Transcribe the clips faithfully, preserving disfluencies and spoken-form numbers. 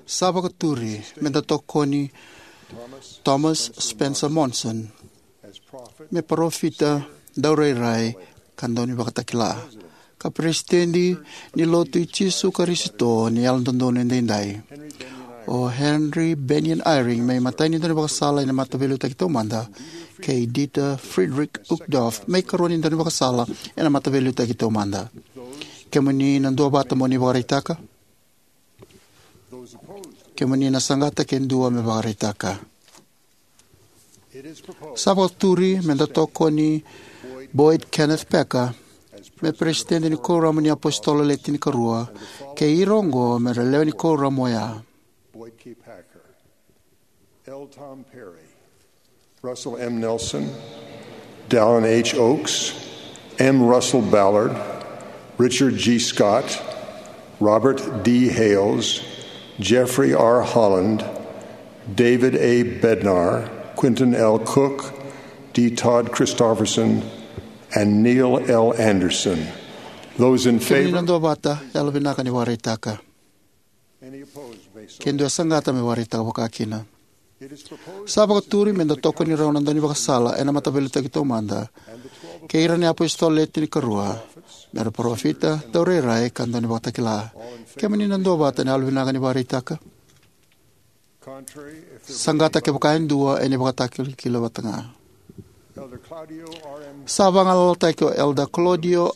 Sa vakaturi me da tokoni Thomas Spencer Monson me parofita, daurairai, ka daunivakatakila, ka Peresitedi ni Lotu i Jisu Karisito ni Yalododonu Edaidai; o Henry Bennion Eyring me imatai ni daunivakasala ena Mataveiliutaki Taumada; kei Dieter Friedrich Uchtdorf me ikarua ni daunivakasala ena Mataveiliutaki Taumada. Kemuni na duavata, mo ni vakaraitaka. Kemuni na saqata, ke dua me vakaraitaka. Sa vakaturi me da tokoni Boyd Kenneth Packer me Peresitedi ni Kuoramu ni iApositolo Le Tinikarua, kei ira oqo me ra lewe ni kuoramu oya: Boyd K. Packer, L. Tom Perry, Russell M. Nelson, Dallin H. Oaks, M. Russell Ballard, Richard G. Scott, Robert D. Hales, Jeffrey R. Holland, David A. Bednar, Quentin L. Cook, D. Todd Christofferson, and Neil L. Andersen. Those in favor. Kemuni na duavata, yalovinaka ni vakaraitaka. Ke dua e saqata, me vakaraitaka vakakina. Sa vakaturi me da tokoni rau na daunivakasala ena Mataveiliutaki Taumada kei ira na iApositolo Le Tinikarua me ra parofita, daurairai, ka daunivakatakila. Kemuni na duavata, yalovinaka ni vakaraitaka. Saqata kevaka e dua, ena ivakatakilakila vata ga. Sa vagalalataki o Elder Claudio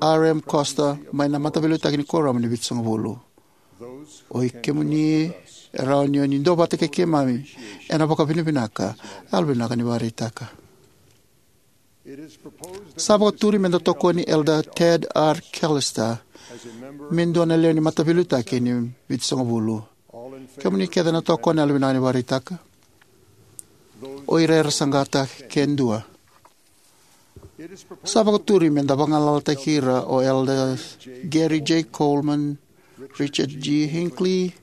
R. M. Costa mai na Mataveiliutaki ni Kuoramu ni Vitusagavulu. O ikemuni e rawa ni o ni duavata kei keimami ena vakavinavinaka, yalovinaka ni vakaraitaka. Sa vakaturi me da tokoni Elder Ted R. Callister me dua na lewe ni Mataveiliutaki ni Vitusagavulu. Kemuni kece na tokona, yalovinaka ni vakaraitaka. O ira era saqata, ke dua. Sa vakaturi me da vagalalataki ira o Elder Gary J. Coleman, Richard G. Hinckley,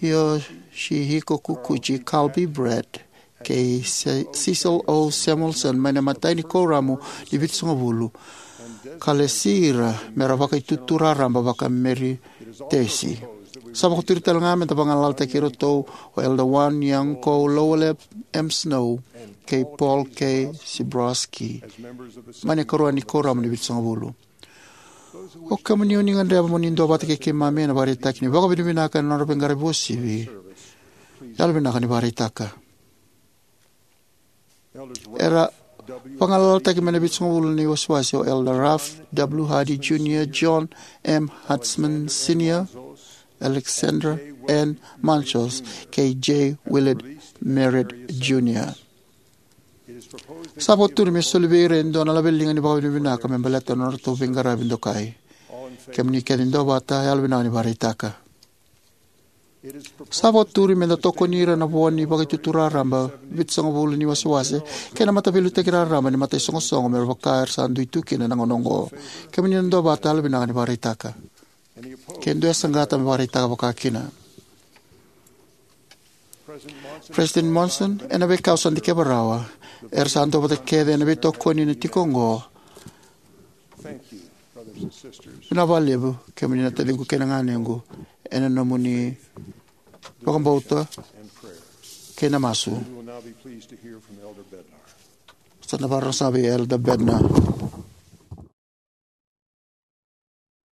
Yoshihiko Kikuchi, Carl B. Bradt, kei Ce-, Cecil O. Samuelson mai na imatai ni Kuoramu ni Vitusagavulu, ka lesi ira me ra Vakaitutu Raraba vakaemeritesi. Sa vakaturi tale ga me da vagalalataki iratou o Elder Won Yong Ko, Lowell M. Snow, kei Paul K. Sybrowsky mai na ikarua ni Kuoramu ni Vitusagavulu. O kemuni o ni gadreva mo ni duavata kei keimami ena ivakaraitaki ni vakavinavinaka ena nodra veiqaravi uasivi, yalovinaka ni vakaraitaka. Era vagalalataki mai na Vitusagavulu ni iWasewase o Elder Ralph W. Hardy Junior, John M. Hartzman Senior, Alexander N. Mancios, kei J. Willard Merritt Junior. Sa vakaturi me soli vei ira e dua na laveliga ni vakavinavinaka me baleta na nodratou veiqaravi dokai. Kemuni kece ni duavata, yalovinaka ni vakaraitaka. Sa vakaturi me da tokoni ira na vo ni Vakaitutu Raraba Vitusagavulu ni iWasewase kei na Mataveiliutaki Raraba ni Mataisoqosoqo me vaka era sa dui tu kina ena gauna oqo. Kemuni na duavata, yalovinaka ni vakaraitaka. Ke dua e saqata, me vakaraitaka vakakina. President Monson, ena veika au sa dikeva rawa, era sa duavata kece ena veitokoni ena tiko oqo. Vinaka vakalevu, kemuni na taciqu kei na ganequ, ena nomuni vakabauta kei na masu. Sa na vakarorogo sara vei Elder Bednar.